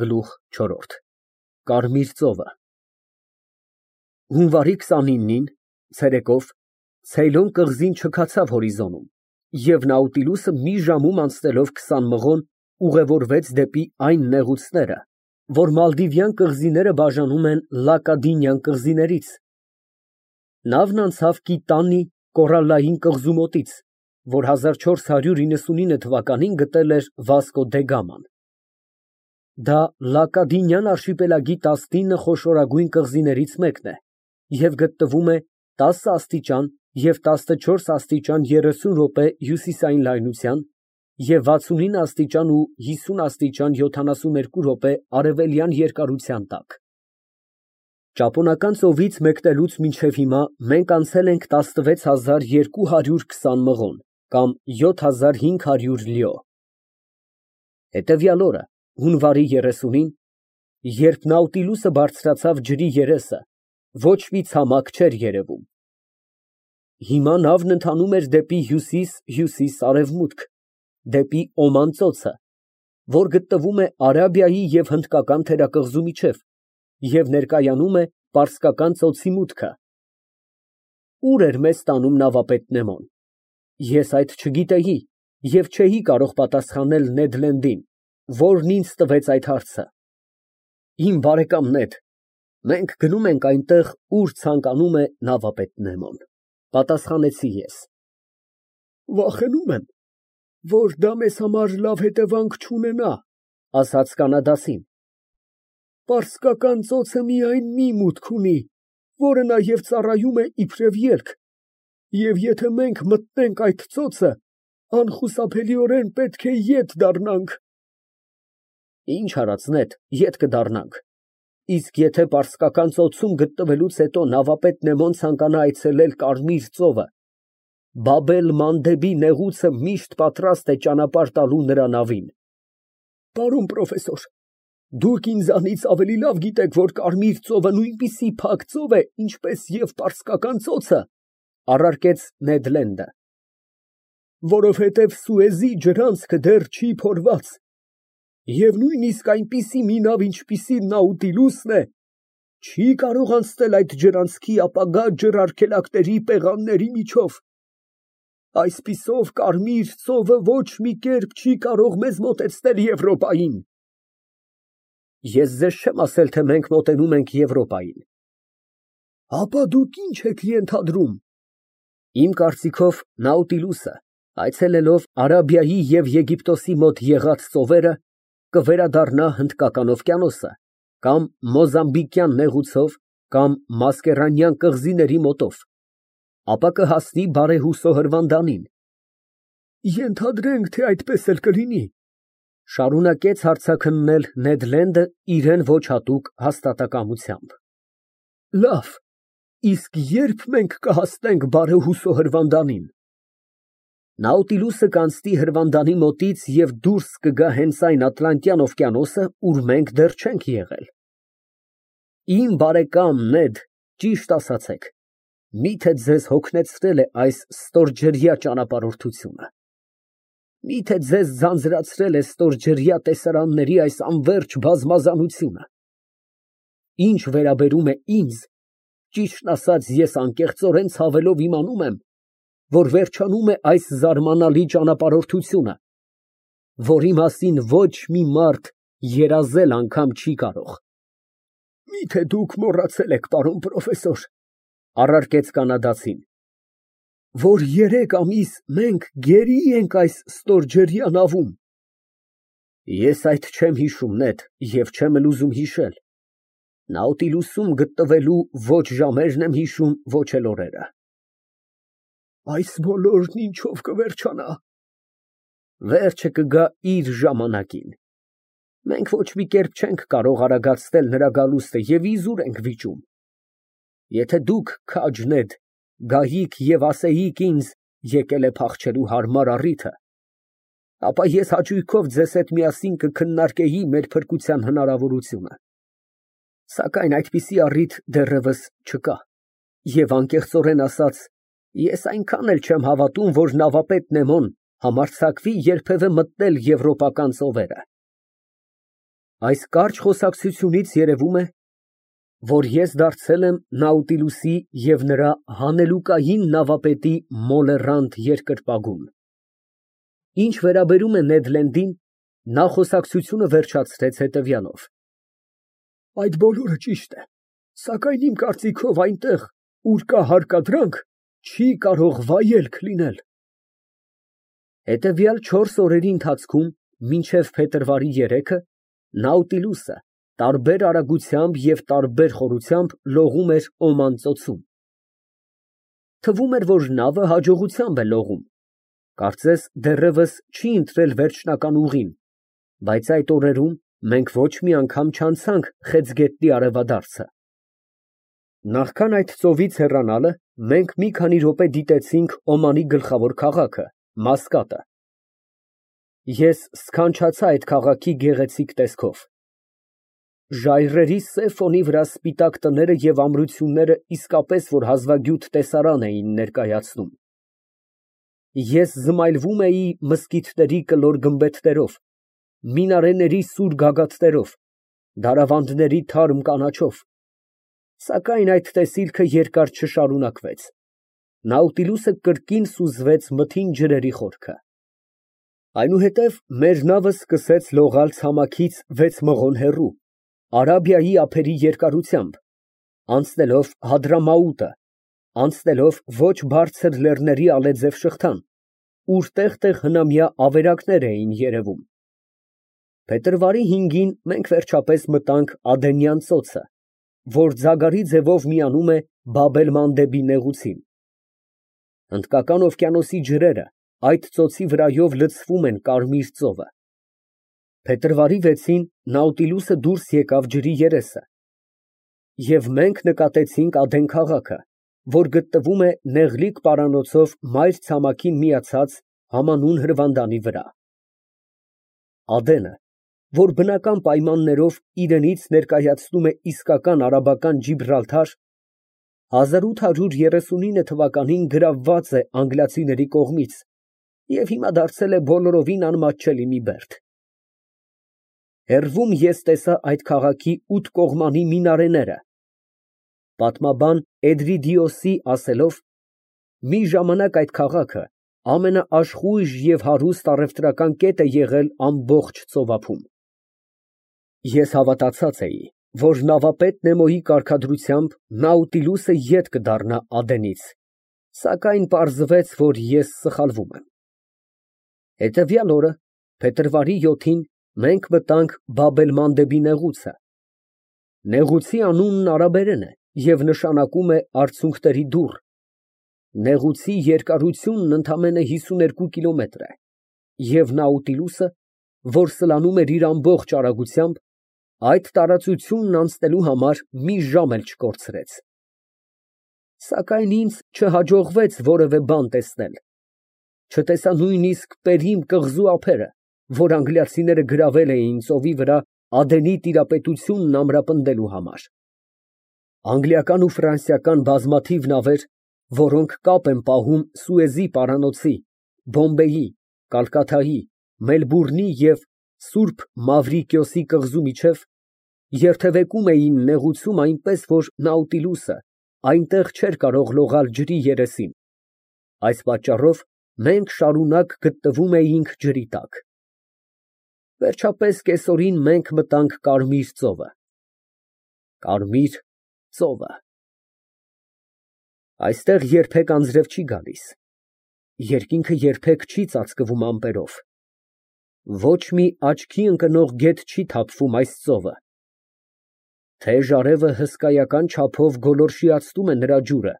Գլուխ չորրորդ Կարմիր ծովը Հունվարի 29-ին ցերեկով Ցեյլոն կղզին չքացավ հորիզոնում, և Նաուտիլուսը մի ժամում անցնելով 20 մղոն ուղևորվեց դեպի այն նեղուցները, որ Մալդիվյան կղզիները բաժանում են Լակադինյան կղզիներից։ Նավն անցավ Կիտանի կորալլային կղզու մոտից, որ 1499 թվականին գտել էր Վասկո դե Գաման։ Դա Լակադինյան արշիպելագի 19 խոշորագույն կղզիներից մեկն է և գտնվում է 10 աստիճան և 14 աստիճան 30 րոպե հյուսիսային լայնության և 69 աստիճան ու 50 աստիճան 72 րոպե արևելյան երկարության տակ։ Ճապոնական ծովից մեկնելուց մինչև հիմա մենք անցել ենք 16220 մղոն կամ 7500 լյո։ Հետևյալ օրը, հունվարի 30-ին, երբ Նաուտիլուսը բարձրացավ ջրի երեսը, ոչ մի ցամաք չէր երևում։ Հիմա նավն ընթանում էր դեպի հյուսիս-հյուսիս֊արևմուտք, դեպի Օման ծոցը, որ գտնվում է Արաբիայի և Հնդկական թերակղզու միջև և ներկայանում է Պարսկական ծոցի մուտքը։ Ուր էր մեզ տանում նավապետ Նեմոն։ Ես այդ չգիտեի և չէի կարող պատասխանել Նեդ Լենդին, որն ինձ տվեց այդ հարցը։ Իմ բարեկամ Նեդ, մենք գնում ենք այնտեղ, ուր ցանկանում է նավապետ Նեմոն, պատասխանեցի ես։ Վախենում եմ, որ դա մեզ համար լավ հետևանք չունենա, ասաց կանադացին։ Պարսկական ծոցը միայն մի մուտք ունի, որը նաև ծառայում է իբրև ելք, և եթե մենք մտնենք այդ ծոցը, անխուսափելիորեն պետք է ետ դառնանք։ Ինչ արած Նեդ, ետ կդառնանք, իսկ եթե Պարսկական ծոցում գտնվելուց հետո նավապետ Նեմոն ցանկանա այցելել Կարմիր ծովը, Բաբ-էլ-Մանդեբի նեղուցը միշտ պատրաստ է ճանապարհ տալու նրա նավին։ Պարոն պրոֆեսոր, դուք ինձանից ավելի լավ գիտեք, որ Կարմիր ծովը նույնպիսի փակ ծով է, ինչպես և Պարսկական ծոցը, առարկեց Նեդ Լենդը։ Որովհետև Սուեզի ջրանցքը դեռ չի փորված, և նույնիսկ այնպիսի մի նավ, ինչպիսին Նաուտիլուսն է, չի կարող անցնել այդ ջրանցքի ապագա ջրարգելակների պեղանների միջով։ Այսպիսով Կարմիր ծովը ոչ մի կերպ չի կարող մեզ մոտեցնել Եվրոպային։ Ես ձեզ չեմ ասել, թե մենք մոտենում ենք Եվրոպային։ Ապա դուք ինչ եք ենթադրում։ Իմ կարծիքով Նաուտիլուսը, այցելելով Արաբիայի և Եգիպտոսի մոտ եղած ծովերը, կվերադառնա Հնդկական օվկիանոսը, կամ Մոզամբիկյան նեղուցով, կամ Մասկերանյան կղզիների մոտով, ապա կհասնի բարեհուսո հրվանդանին։ Ենթադրենք, թե այդպես էլ կլինի, շարունակեց հարցաքննել Նեդ Լենդը իրեն ոչ հատուկ հաստատակամությամբ։ Լավ, իսկ ե՞րբ մենք կհասնենք բարեհուսո հրվանդանին։ Նաուտիլուսը կանցնի հրվանդանի մոտից և դուրս կգա հենց այն Ատլանտյան օվկիանոսը, ուր մենք դեռ չենք եղել։ Իմ բարեկամ Նեդ, ճիշտ ասացեք, միթե ձեզ հոգնեցրել է այս ստորջրյա ճանապարհորդությունը։ Միթե ձեզ ձանձրացրել է ստորջրյա տեսարանների այս անվերջ բազմազանությունը։ Ինչ վերաբերում է ինձ, ճիշտն ասած, ես անկեղծորեն ցավելով իմանում եմ, որ վերջանում է այս զարմանալի ճանապարհորդությունը, որի մասին ոչ մի մարդ երազել անգամ չի կարող։ Միթե դուք մոռացել եք, պարոն պրոֆեսոր, առարկեց կանադացին, որ 3 ամիս մենք գերի ենք այս ստորջրյա նավում։ Ես այդ չեմ հիշում, Նեդ, և չեմ էլ ուզում հիշել։ Նաուտիլուսում գտնվելու ոչ ժամերն եմ հիշում, ոչ էլ օրերը։ Այս բոլորն ինչով կվերջանա։ Վերջը կգա իր ժամանակին։ Մենք ոչ մի կերպ չենք կարող արագացնել նրա գալուստը և իզուր ենք վիճում։ Եթե դուք, քաջ Նեդ, գայիք և ասեիք ինձ, եկել է փախչելու հարմար առիթը, ապա ես հաճույքով ձեզ հետ միասին կքննարկեի մեր փրկության հնարավորությունը։ Սակայն այդպիսի առիթ դեռևս չկա, և անկեղծորեն ասած, ես այնքան էլ չեմ հավատում, որ նավապետ Նեմոն համարձակվի երբևէ մտնել եվրոպական ծովերը։ Այս կարճ խոսակցությունից երևում է, որ ես դարձել եմ Նաուտիլուսի և նրա հանելուկային նավապետի մոլեռանդ երկրպագուն։ Ինչ վերաբերում է Նեդ Լենդին, նա խոսակցությունը վերջացրեց հետևյալով. Այդ բոլորը ճիշտ է, սակայն իմ կարծիքով այնտեղ, ուր կա հարկադրանք, չի կարող վայելք լինել։ Հետևյալ 4 օրերի ընթացքում, մինչև փետրվարի 3-ը, Նաուտիլուսը տարբեր արագությամբ և տարբեր խորությամբ լողում էր Օման ծոցում։ Թվում էր, որ նավը հաջողությամբ է լողում, կարծես դեռևս չի ընտրել վերջնական ուղին, բայց այդ օրերում մենք ոչ մի անգամ չանցանք Խեցգետնի արևադարձը։ Նախքան այդ ծովից հեռանալը, մենք մի քանի րոպե դիտեցինք Օմանի գլխավոր քաղաքը՝ Մասկատը։ Ես սքանչացա այդ քաղաքի գեղեցիկ տեսքով։ Ժայռերի սև ֆոնի վրա սպիտակ տները և ամրությունները իսկապես որ հազվագյուտ տեսարան էին ներկայացնում։ Ես զմայլվում էի մզկիթների կլոր գմբեթներով, մինարեների սուր գագաթներով, դարավանդների թարմ կանաչով, սակայն այդ տեսիլքը երկար չշարունակվեց։ Նաուտիլուսը կրկին սուզվեց մթին ջրերի խորքը։ Այնուհետև մեր նավը սկսեց լողալ ցամաքից 6 մղոն հեռու, Արաբիայի ափերի երկարությամբ, անցնելով Հադրամաուտը, անցնելով ոչ բարձր լեռների ալեձև շղթան, ուր տեղ֊տեղ հնամյա ավերակներ էին երևում։ Փետրվարի 5-ին մենք վերջապես մտանք Ադենյան ծոցը, որ ձագարի ձևով միանում է Բաբ-էլ-Մանդեբի նեղուցին։ Հնդկական օվկիանոսի ջրերը այդ ծոցի վրայով լցվում են Կարմիր ծովը։ Փետրվարի 6-ին Նաուտիլուսը դուրս եկավ ջրի երեսը, և մենք նկատեցինք Ադեն քաղաքը, որ գտնվում է նեղլիկ պարանոցով մայր ցամաքին միացած համանուն հրվանդանի վրա։ Ադենը, որ բնական պայմաններով իրենից ներկայացնում է իսկական արաբական Ջիբրալթար, 1839 թվականին գրավված է անգլիացիների կողմից և հիմա դարձել է բոլորովին անմատչելի մի բերդ։ Հեռվում ես տեսա այդ քաղաքի 8 կողմանի մինարեները։ Պատմաբան Էդրիդիոսի ասելով, մի ժամանակ այդ քաղաքը ամենաաշխույժ և հարուստ առևտրական կետ է եղել ամբողջ ծովափում։ Ես հավատացած էի, որ նավապետ Նեմոյի կարգադրությամբ Նաուտիլուսը ետ կդառնա Ադենից, սակայն պարզվեց, որ ես սխալվում եմ։ Հետևյալ օրը, փետրվարի 7-ին, մենք մտանք Բաբ-էլ-Մանդեբի նեղուցը։ Նեղուցի անունն արաբերեն է և նշանակում է արցունքների դուռ։ Նեղուցի երկարությունն ընդամենը 52 կիլոմետր է, և Նաուտիլուսը, որ սլանում էր իր ամբողջ արագությամբ, այդ տարածությունն անցնելու համար մի ժամ էլ չկորցրեց։ Սակայն ինձ չհաջողվեց որևէ բան տեսնել։ Չտեսա նույնիսկ Պերիմ կղզու ափերը, որ անգլիացիները գրավել էին ծովի վրա Ադենի տիրապետությունն ամրապնդելու համար։ Անգլիական ու ֆրանսիական բազմաթիվ նավեր, որոնք կապ են պահում Սուեզի պարանոցի, Բոմբեյի, Կալկաթայի, Մելբուրնի և Սուրբ Մավրիկիոսի կղզու միջև, երթևեկում էին նեղուցում այնպես, որ Նաուտիլուսը այնտեղ չէր կարող լողալ ջրի երեսին։ Այս պատճառով մենք շարունակ գտնվում էինք ջրի տակ։ Վերջապես կեսօրին մենք մտանք Կարմիր ծովը։ Կարմիր ծովը։ Այստեղ երբեք անձրև չի գալիս, երկինքը երբեք չի ծածկվում ամպերով, ոչ մի աչքի ընկնող գետ չի թափվում այս ծովը։ Թեժ արևը հսկայական չափով գոլորշիացնում է նրա ջուրը,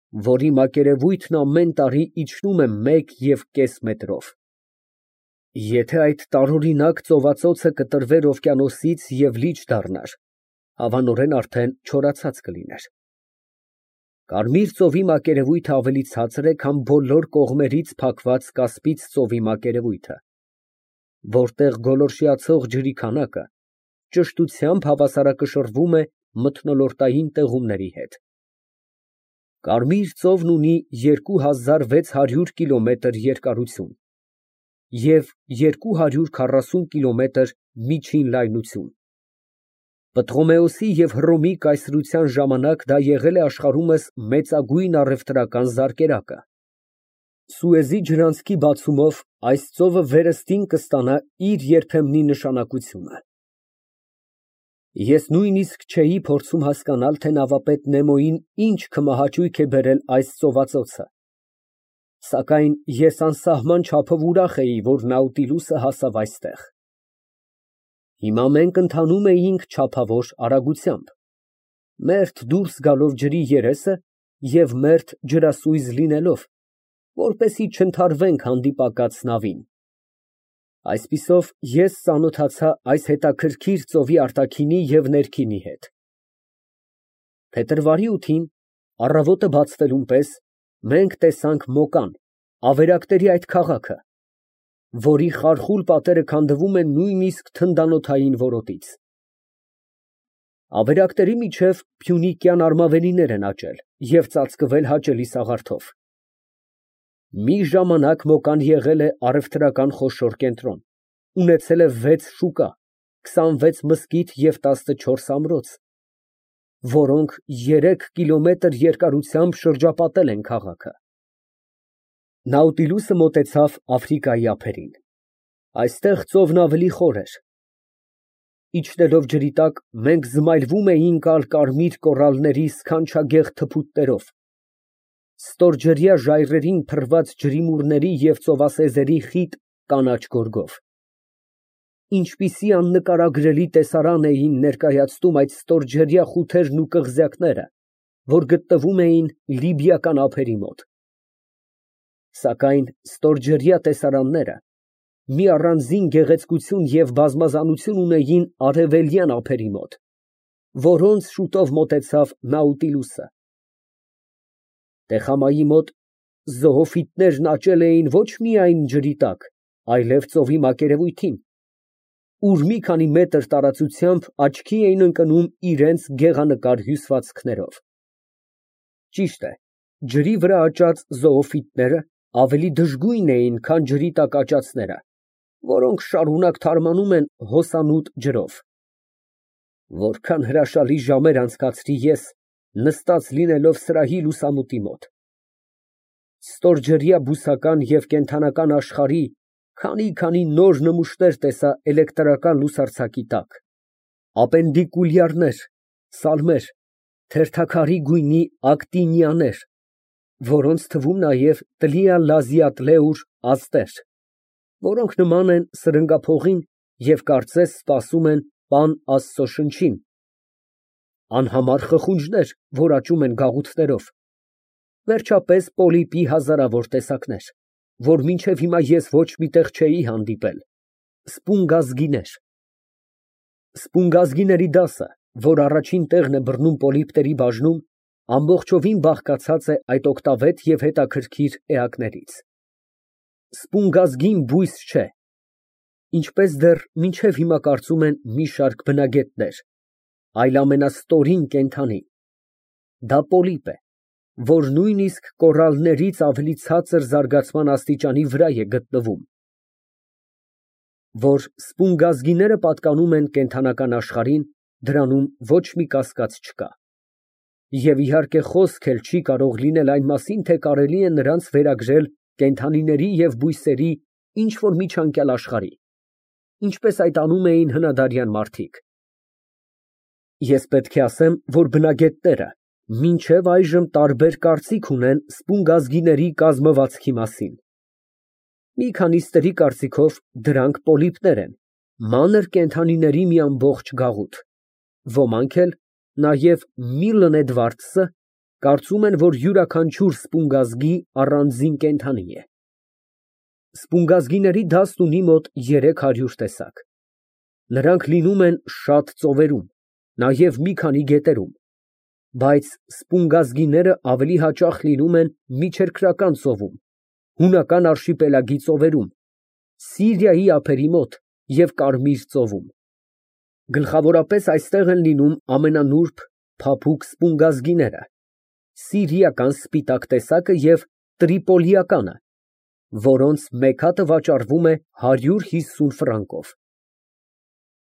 որի մակերևույթն ամեն տարի իջնում է 1,5 մետրով։ Եթե այդ տարօրինակ ծովածոցը կտրվեր օվկիանոսից և լիճ դառնար, հավանորեն արդեն չորացած կլիներ։ Կարմիր ծովի մակերևույթը ավելի ցածր է, քան բոլոր կողմերից փակված Կասպից ծովի մակերևույթը, որտեղ գոլորշիացող ջրի քանակը ճշտությամբ հավասարակշռվում է մթնոլորտային տեղումների հետ։ Կարմիր ծովն ունի 2600 կիլոմետր երկարություն և 240 կիլոմետր միջին լայնություն։ Պտղոմեոսի և Հռոմի կայսրության ժամանակ դա եղել է աշխարհումս մեծագույն առևտրական զարկերակը։ Սուեզի ջրանցքի բացումով այս ծովը վերստին կստանա իր երբեմնի նշանակությունը։ Ես նույնիսկ չէի փորձում հասկանալ, թե նավապետ Նեմոյին ինչ քմահաճույք է բերել այս ծովածոցը, սակայն ես անսահման չափով ուրախ էի, որ Նաուտիլուսը հասավ այստեղ։ Հիմա մենք ընթանում էինք չափավոր արագությամբ, մերթ դուրս գալով ջրի երեսը և մերթ ջրասույզ լինելով, որպեսզի չընդհարվենք հանդիպակաց նավին։ Այսպիսով ես ծանոթացա այս հետաքրքիր ծովի արտաքինի և ներքինի հետ։ Փետրվարի 8-ին, առավոտը բացվելուն պես, մենք տեսանք Մոկան, ավերակների այդ քաղաքը, որի խարխուլ պատերը քանդվում են նույնիսկ թնդանոթային որոտից։ Ավերակների միջև փյունիկյան արմավենիներ են աճել և ծածկվել հաճելի սաղարթով։ Մի ժամանակ Մոկան եղել է առևտրական խոշոր կենտրոն, ունեցել է 6 շուկա, 26 մզկիթ և 14 ամրոց, որոնք 3 կիլոմետր երկարությամբ շրջապատել են քաղաքը։ Նաուտիլուսը մոտեցավ Աֆրիկայի ափերին։ Այստեղ ծովն ավելի խոր էր։ Իջնելով ջրի տակ, մենք զմայլվում էինք ալկարմիր կորալների սքանչագեղ թփուտներով, ստորջրյա ժայռերին փռված ջրիմուռների և ծովասեզերի խիտ կանաչ գորգով։ Ինչպիսի աննկարագրելի տեսարան էին ներկայացնում այդ ստորջրյա խութերն ու կղզյակները, որ գտնվում էին լիբիական ափերի մոտ։ Սակայն ստորջրյա տեսարանները մի առանձին գեղեցկություն և բազմազանություն ունեին արևելյան ափերի մոտ, որոնց շուտով մոտեցավ Նաուտիլուսը։ Տեխամայի մոտ զոոֆիտներն աճել էին ոչ միայն ջրի տակ, այլև ծովի մակերևույթին, ուր մի քանի մետր տարածությամբ աչքի էին ընկնում իրենց գեղանկար հյուսվածքներով։ Ճիշտ է, ջրի վրա աճած զոոֆիտները ավելի դժգույն էին, քան ջրի տակ աճածները, որոնք շարունակ թարմանում են հոսանոտ ջրով։ Որքան հրաշալի ժամեր անցկացրի ես, նստած լինելով սրահի լուսամուտի մոտ։ Ստորջրյա բուսական և կենդանական աշխարհի քանի նոր նմուշներ տեսա էլեկտրական լուսարձակի տակ, ապենդիկուլյարներ, սալմեր, թերթաքարի գույնի ակտինիաներ, որոնց թվում նաև տլիա֊լազիաթլեուր աստղեր, որոնք նման են սրընգափողին և կարծես սպասում են Պան Աստծո շնչին, անհամար խխունջներ, որ աճում են գաղութներով, վերջապես պոլիպի հազարավոր տեսակներ, որ մինչև հիմա ես ոչ մի տեղ չէի հանդիպել, սպունգազգիներ։ Սպունգազգիների դասը, որ առաջին տեղն է բռնում պոլիպների բաժնում, ամբողջովին բաղկացած է այդ օգտավետ և հետաքրքիր էակներից։ Սպունգազգին բույս չէ, ինչպես դեռ մինչև հիմա կարծում են մի շարք բնագետներ, այլ ամենաստորին կենդանի։ Դա պոլիպ է, որ նույնիսկ կորալներից ավելի ցածր զարգացման աստիճանի վրա է գտնվում։ Որ սպունգազգիները պատկանում են կենդանական աշխարհին, դրանում ոչ մի կասկած չկա։ Եվ իհարկե խոսք էլ չի կարող լինել այն մասին, թե կարելի է նրանց վերագրել կենդանիների և բույսերի ինչ֊որ միջանկյալ աշխարհի, ինչպես այդ անում էին հնադարյան մարդիկ։ Ես պետք է ասեմ, որ բնագետները մինչև այժմ տարբեր կարծիք ունեն սպունգազգիների կազմվածքի մասին։ Մի քանիստերի կարծիքով դրանք պոլիպներ են, մանր կենդանիների մի ամբողջ գաղութ, ոմանք էլ, նաև Միլլն Էդվարդսը, կարծում են, որ յուրաքանչյուր սպունգազգի առանձին կենդանի է։ Սպունգազգիների դասն ունի մոտ 300 տեսակ։ Նրանք լինում են շատ ծովերում, նաև մի քանի գետերում, բայց սպունգազգիները ավելի հաճախ լինում են Միջերկրական ծովում, Հունական արշիպելագի ծովերում, Սիրիայի ափերի մոտ և Կարմիր ծովում։ Գլխավորապես այստեղ են լինում ամենանուրբ փափուկ սպունգազգիները, սիրիական սպիտակ տեսակը և տրիպոլիականը, որոնց մեկ հատը վաճառվում է 150 ֆրանկով։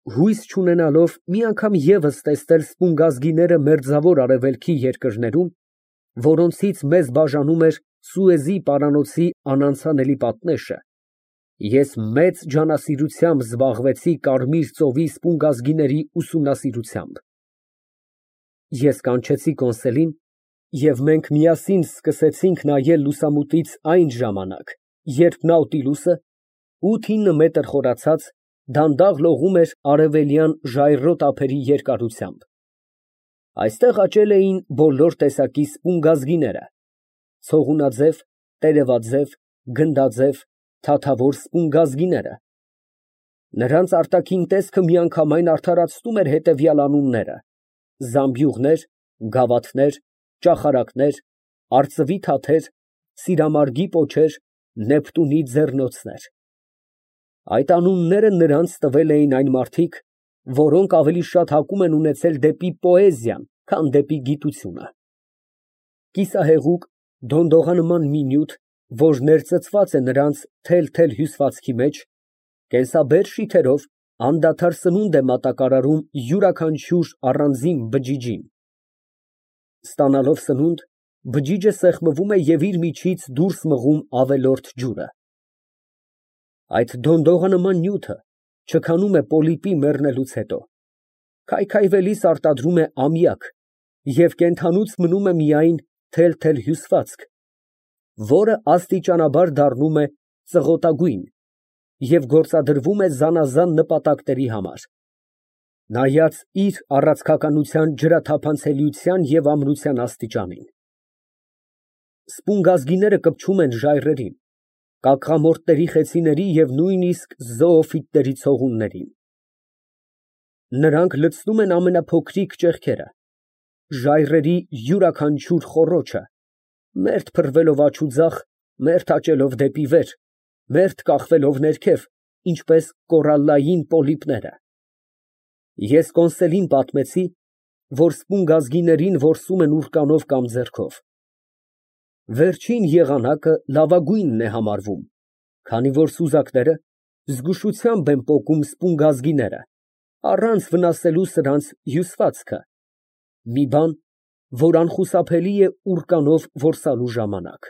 Հույս չունենալով մի անգամ ևս տեսնել սպունգազգիները Մերձավոր Արևելքի երկրներում, որոնցից մեզ բաժանում էր Սուեզի պարանոցի անանցանելի պատնեշը, ես մեծ ջանասիրությամբ զբաղվեցի Կարմիր ծովի սպունգազգիների ուսումնասիրությամբ։ Ես կանչեցի կոնսերին, և մենք միասին սկսեցինք նայել լուսամուտից այն ժամանակ, երբ Նաուտիլուսը, 8-9 մետր խորացած, դանդաղ լողում էր արևելյան ժայռոտ ափերի երկարությամբ։ Այստեղ աճել էին բոլոր տեսակի սպունգազգիները, ցողունաձև, տերևաձև, գնդաձև, թաթավոր սպունգազգիները։ Նրանց արտաքին տեսքը միանգամայն արդարացնում էր հետևյալ անունները. զամբյուղներ, գավաթներ, ճախարակներ, արծվի թաթեր, սիրամարգի պոչեր, նեպտունի ձեռնոցներ։ Այդ անունները նրանց տվել էին այն մարդիկ, որոնք ավելի շատ հակում են ունեցել դեպի պոեզիան, քան դեպի գիտությունը։ Կիսահեղուկ, դոնդողանման մի նյութ, որ ներծծված է նրանց թել֊թել հյուսվածքի մեջ, կենսաբեր շիթերով անդադար սնունդ է մատակարարում յուրաքանչյուր առանձին բջիջին։ Ստանալով սնունդ, բջիջը սեղմում է և իր միջից դուրս մղում ավելորդ ջուրը։ Այդ դոնդողանման նյութը չքանում է պոլիպի մեռնելուց հետո, քայքայվելիս արտադրում է ամիակ և կենդանուց մնում է միայն թել֊թել հյուսվածք, որը աստիճանաբար դառնում է ծղոտագույն և գործադրվում է զանազան նպատակների համար, նայած իր առաձգականության ջրաթափանցելիության և ամրության աստիճանին։ Սպունգազգիները կպչում են ժայռերին, կակղամորտների խեցիների և նույնիսկ զոոֆիտների ցողուններին։ Նրանք լցնում են ամենափոքրիկ ճեղքերը, ժայռերի յուրաքանչյուր խոռոչը, մերթ փռվելով աջ ու ձախ, մերթ աճելով դեպի վեր, մերթ կախվելով ներքև, ինչպես կորալլային պոլիպները։ Ես կոնսերին պատմեցի, որ սպունգազգիներին որսում են ուրկանով կամ ձեռքով։ Վերջին եղանակը լավագույնն է համարվում, քանի որ սուզակները զգուշությամբ են պոկում սպունգազգիները, առանց վնասելու սրանց հյուսվածքը, մի բան, որ անխուսափելի է ուրկանով որսալու ժամանակ։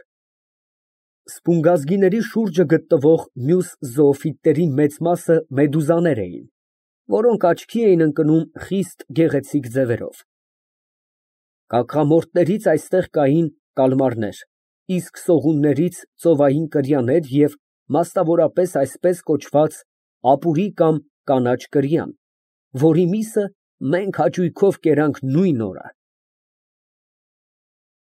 Սպունգազգիների շուրջը գտնվող մյուս զոոֆիտների մեծ մասը մեդուզաներ էին, որոնք աչքի էին ընկնում խիստ գեղեցիկ ձևերով։ Կակղամորտներից այստեղ կային կալմարներ, իսկ սողուններից ծովային կրյաներ և մասնավորապես այսպես կոչված ապուրի կամ կանաչ կրյան, որի միսը մենք հաճույքով կերանք նույն օրը։